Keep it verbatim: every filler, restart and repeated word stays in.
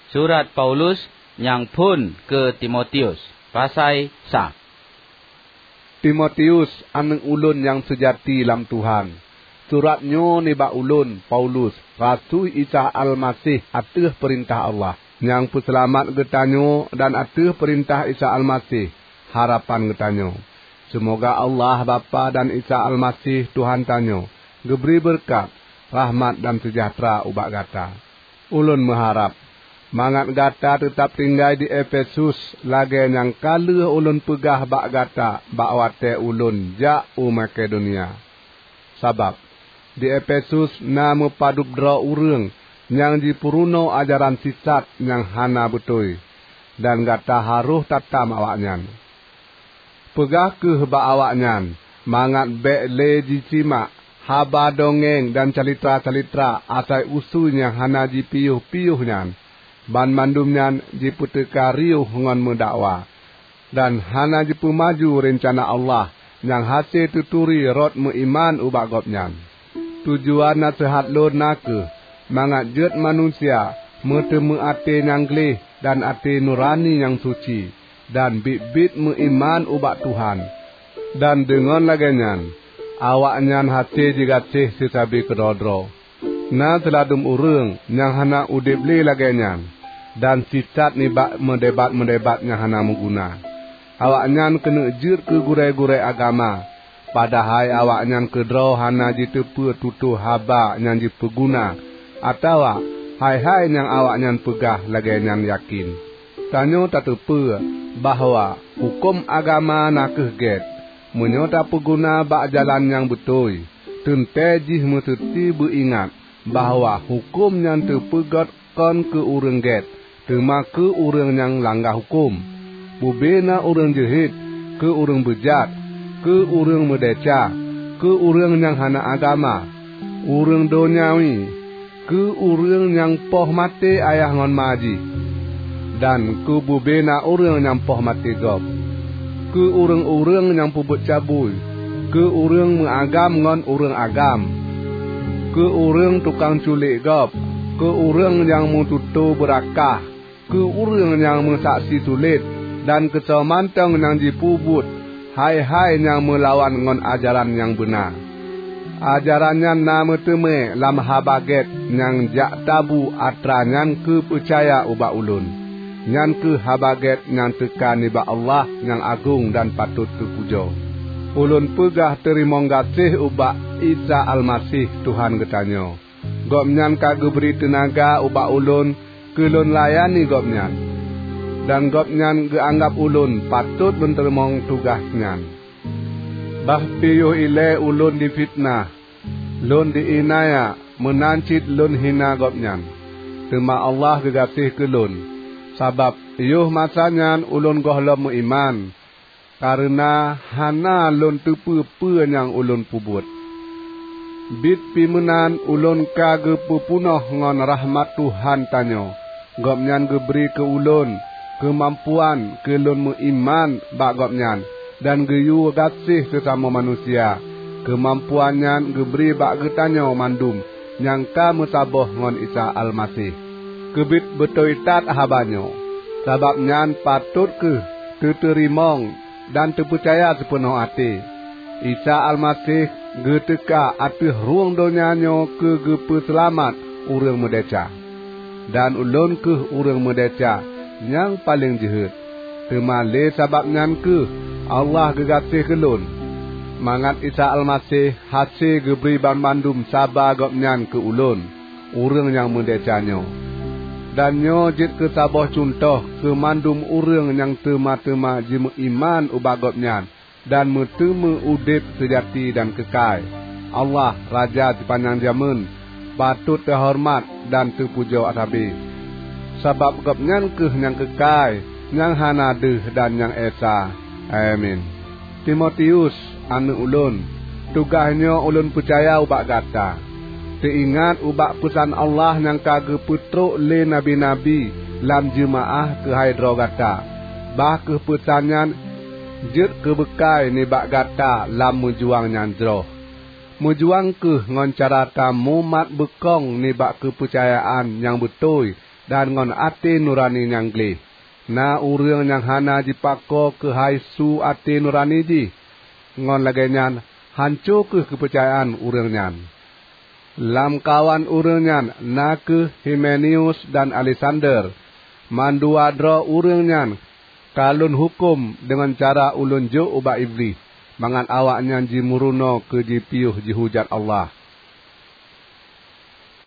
Surat Paulus nyang phon keu Timotius, pasai sa. Timotius, aneuëk ulôn nyang seujati lam Tuhan. Surat nyoe nibak ulôn, Paulus, rasui Isa Almaseh ateueh peurintah Allah, nyang peuseulamat geutanyoe, dan ateueh peurintah Isa Almaseh, harapan geutanyoe. Seumoga Allah Bapak dan Isa Almaseh Tuhan tanyoe geubri beureukat, rahmat, dan seujahteura ubak gata. Ulôn meuharab mangat gata teutab tinggai di Efesus, lagée nyang ka lheueh ulôn peugah bak gata bak watée ulôn jak u Makedonia. Sabab di Efesus na meupadub droe ureuëng nyang jipeurunoe ajaran sisat nyang hana beutôi, dan gata harôh tatam awaknyan. Peugah kheueh bak awaknyan mangat bék lé jisimak haba dongeng dan calitra-calitra asai usui nyang hana jipiôh-piôh nyan. Banmandum nyan jipeuteuka riôh ngon meudakwa, dan hana jipeumaju reuncana Allah nyang hase teuturi rot meuiman ubak Gobnyan. Tujuan naseuhat lôn na kheueh mangat jeuet manusia meuteumé até nyang gleh dan até nurani nyang suci, dan biet-biet meuiman ubak Tuhan. Dan deungon lagée nyan, awaknyan hase jigaséh seusabe keudroe-droe. Na siladum ureuëng nyang hana udeb lé lagée nyan, dan sisat nibak meudebat-meudebat nyang hana meuguna. Awaknyan keuneuk jeuet keu gurée-gurée agama, padahai awaknyan keudroe hana jiteupeu tutoe haba nyang jipeuguna, atawa hai-hai nyang awaknyan peugah lagée nyan yakén. Tanyoe tateupeue bahwa huköm agama na kheueh gét, meunyoe tapeuguna bak jalan nyang beutôi. Teuntée jih meuseuti beuingat bahwa huköm nyang teupeugét kon keu ureuëng gét, teuma keu ureuëng nyang langga huköm. Bubena ureuëng jeuhet, keu ureuëng beujat, keu ureuëng meudesya, keu ureuëng nyang hana agama, ureuëng dônyawi, keu ureuëng nyang poh maté ayah ngon ma jih, dan keu bubena ureuëng nyang poh maté gob, keu ureuëng-ureuëng nyang peubuet cabui, keu ureuëng meuagam ngon ureuëng agam, keu ureuëng tukang culék gob, keu ureuëng nyang meututoe beurakah, keu ureuëng nyang meusaksi sulet, dan keu soe mantong nyang jipeubuet hai-hai nyang meulawan ngon ajaran nyang beuna. Ajaran nyan na meuteumé lam Haba Gét nyang jak tabu atra nyan keu peucaya ubak ulôn. Nyan kheueh Haba Gét nyang teuka nibak Allah nyang agong dan patot teupujoe. Ulôn peugah teurimong gaséh ubak Isa Almaseh Tuhan geutanyoe. Gobnyan ka geubri teunaga ubak ulôn keu lôn layani Gobnyan, dan Gobnyan geuanggab ulôn patot lôn teurimong tugaih nyan. Bah piôh ilée ulôn difiteunah, lôn diiénaya, meunan cit lôn hina Gobnyan. Teuma Allah geugaséh keu lôn, sabab yoh masa nyan ulôn gohlom meuiman, kareuna hana lôn teupeu peue nyang ulôn peubuet. Biet pih meunan ulôn ka geupeupunoh ngon rahmat Tuhan tanyoe. Gobnyan geubri keu ulôn keumampuan keu lôn meuiman bak Gobnyan dan geuyue gaséh seusamoe manusia. Keumampuan nyan geubri bak geutanyoe mandum nyang ka meusaboh ngon Isa Almaseh. Keubiet beutôi that haba nyoe, sabab nyan patot kheueh teuteurimong dan teupeucaya sipeunoh até. Isa Almaseh geuteuka ateueh rhueng donya nyoe keu geupeuseulamat ureuëng meudesya. Dan ulôn kheueh ureuëng meudesya nyang paleng jeuhet. Teuma lé sabab nyan kheueh Allah geugaséh keu lôn, mangat Isa Almaseh hase geubri banmandum saba Gobnyan keu ulôn, ureuëng nyang meudesya nyoe. Dan nyoe jeuet keu saboh cuntoh keu mandum ureuëng nyang teuma-teuma jimeuiman ubak Gobnyan dan meuteumé udeb seujati dan keukai. Allah, Raja sipanyang jamén, patot teuhoreumat dan teupujoe sabe, sabab Gobnyan kheueh nyang keukai, nyang hana deuh dan nyang esa. Amin. Timotius, aneuëk ulôn, tugaih nyoe ulôn peucaya ubak gata. Teuingat ubak peusan Allah nyang ka geupeutrok lé nabi-nabi lam jeumaáh keuhai droe gata. Bah kheueh peusan nyan jeuet keu beukai nibak gata lam meujuang nyang jroh. Meujuang kheueh ngon cara tamumat beukong nibak keupeucayaan nyang beutôi dan ngon até nurani nyang gleh. Na ureuëng nyang hana jipako keuhai su até nurani jih, ngon lagée nyan hanco kheueh keupeurcayaan ureuëng nyan. Lamkawan ureuëng nyan na kheueh Himeneus dan Aleksander. Mandua droe ureuëng nyan ka lôn huköm deungon cara ulôn jok ubak Iblih, mangat awaknyan jimeurunoe keu jipiôh jihujat Allah.